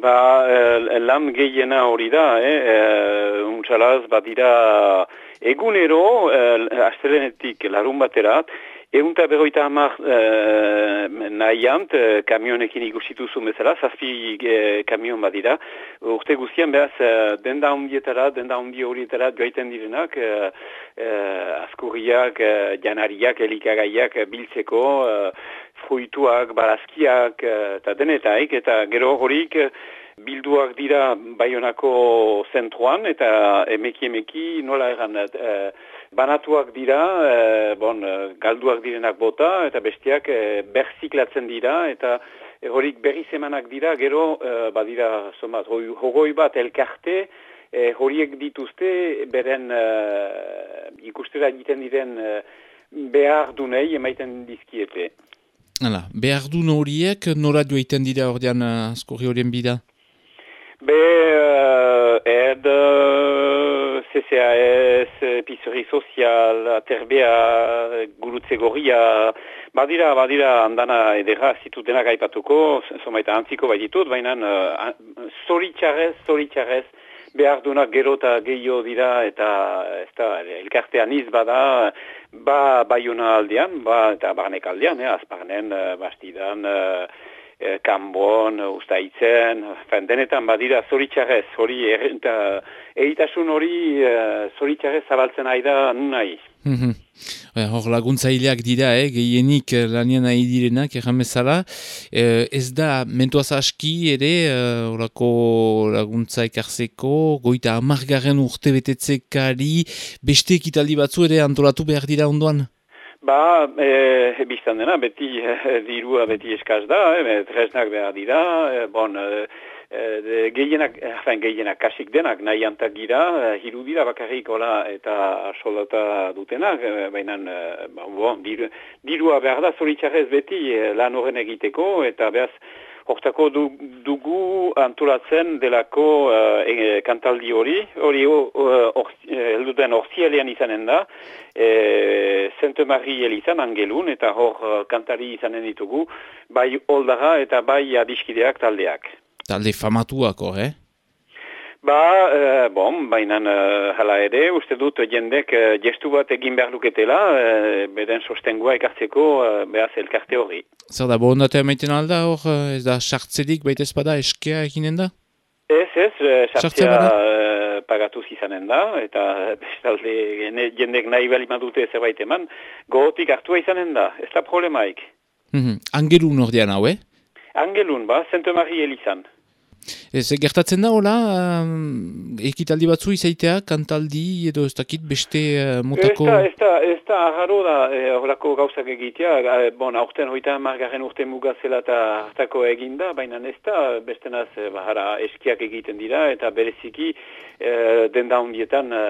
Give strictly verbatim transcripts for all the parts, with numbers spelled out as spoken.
Ba, eh, lan gehiena hori da, eh? eh untxalaz, badira egunero, eh, astelenetik larun baterat, egunta berroita hamar eh, nahiant, eh, kamionekin ikustituzu bezala, zazpi eh, kamion badira. Urte guztian behaz, eh, denda hundietara, denda hundi horietara joaiten direnak, eh, eh, askurriak, eh, janariak, elikagaiak eh, biltzeko, eh, fruituak, barazkiak, eta denetaik, eta gero horik bilduak dira Baionako zentruan, eta emeki-emeki nola egan, e, banatuak dira, e, bon, galduak direnak bota, eta bestiak e, berziklatzen dira, eta e, horik berriz emanak dira, gero e, badira, somat, hogoi bat elkarte, e, horiek dituzte, beren e, ikustera egiten diren e, behar dunei emaiten dizkiete. Hala, behar duen horiek, nora joiten dira ordean askorri horien bida? Be, uh, ed, C C A S, Epicerie Sozial, Aterbea, Gurutze Gorria, badira, badira, andana edera zitutenak aipatuko, somaita antziko baititut, baina uh, zoritxarrez, zoritxarrez, behar duenak gero eta gehiago dira, eta ez da, elkartean iz bada, ba Baiona aldean, ba eta barnek aldean, eh, azparnen, bastidan, eh, kanbon, ustaitzen, denetan badira zoritxarrez, hori, eta egitasun hori eh, zoritxarrez zabaltzen ari da nahi. Mm-hmm. Hor laguntzaileak dira, eh, gehienik lanian nahi direnak, erran bezala. Eh, ez da, mentuaz aski ere, horako eh, laguntza ekarzeko, goita amargarren urte betetzekari, beste ekitaldi batzu ere antolatu behar dira ondoan? Ba, e, biztan dena, beti e, dirua beti eskaz da, e, tresnak behar dira, e, bon, e, e, gehienak, hafen gehienak kasik denak nahi antak gira, e, hiru dira bakarrik hola eta soldata dutenak, e, baina e, bon, diru, dirua behar da zoritxarrez beti e, lan horren egiteko, eta behaz, hortako du, dugu antolatzen delako uh, e, kantaldi hori, hori helduten uh, orzielean izanen da, e, Sainte-Marie elizan angelun, eta hor uh, kantari izanen ditugu, bai oldara eta bai adiskideak taldeak. Talde famatuak hor, eh? Ba, uh, bon, baina uh, hala ere, uste dut jendek uh, gestu bat egin behar luketela, uh, beden sostengua ekartzeko uh, behaz elkarte hori. Zer da, borondatea maiten alda hor, ez da sartzelik baita espada eskea eginen da? Ez, ez, sartzea uh, pagatuz izanen da, eta bestalde jendek nahi bali madute zerbait eman, gogotik hartua izanen da, ez da problemaik. Mm-hmm. Angelun ordean hau, eh? Angelun, ba, Sainte-Marie elizan. Ez, gertatzen da, hola, um, ekitaldi batzu izaitea, kantaldi edo ez dakit beste uh, motako... Ez da, ez da, aharro da, horako gauzak egitea, e, bon, aurten hoita margarren urte mugazela eta hartako eginda, baina ez da, bestenaz, bahara, eskiak egiten dira, eta bereziki e, denda hundietan e,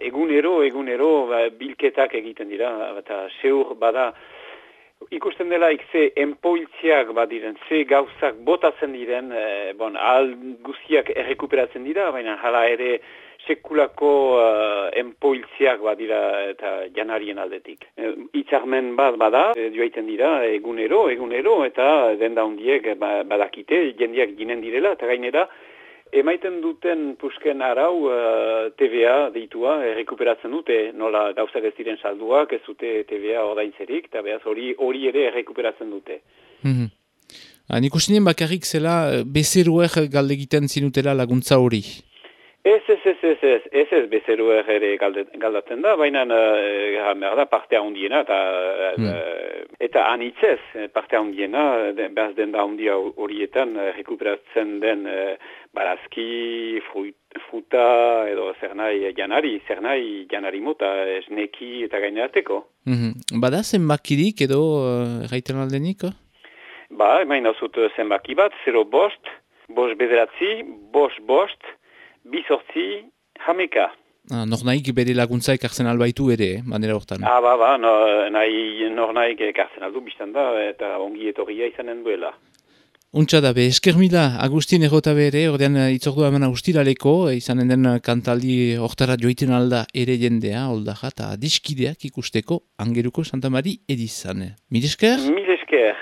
egunero, egunero, ba, bilketak egiten dira, eta seur bada, ikusten dela ze enpoiltziak badiren, ze gauzak botatzen diren, e, bon, ahal guztiak errekuperatzen dira, baina hala ere sekulako uh, enpoiltziak badira eta janarien aldetik. E, Itzarmen bat bada, e, joaiten dira egunero, egunero, eta denda hundiek badakite, jendiak ginen direla, eta gainera, emaiten duten pusken arau uh, T V A deitua errekuperatzen dute, nola gauzak ez diren salduak, ez dute T V A ordaintzerik, eta behaz hori hori ere errekuperatzen dute. Mm-hmm. Ah, nik usinen bakarrik zela bezeruer galdegiten zinutela laguntza hori? Ez, ez, ez, ez, ez, ez, ez bezeruer ere galdatzen da, baina uh, da partea hundiena, eta, mm. uh, eta anitzez partea hundiena, behaz den da hundia horietan uh, rekuperatzen den uh, barazki, fruit, fruta, edo zer nahi janari, zer nahi janari mota, esneki eta gainerateko. Mm-hmm. Bada zenbakirik edo erraiten uh, aldenik? Ba, emain dauzut zenbaki bat, zero bost, bost bederatzi, bost bost, bizortzi, hameka. Ah, nor nahik bere laguntza ekartzen albaitu ere, eh, manera hortan. Ah, ba, ba, no, nahi, nor nahik ekartzen aldu biztan da, eta ongi etorria izanen duela. Untsa da be, esker mila, Agustin errota bere, ordean itzordua hemen Agustiraleko, izanen den kantaldi hortara joiten alda ere jendea, oldaja, eta diskideak ikusteko Angeluko Santa Mari edizan. Mil esker? Mil esker.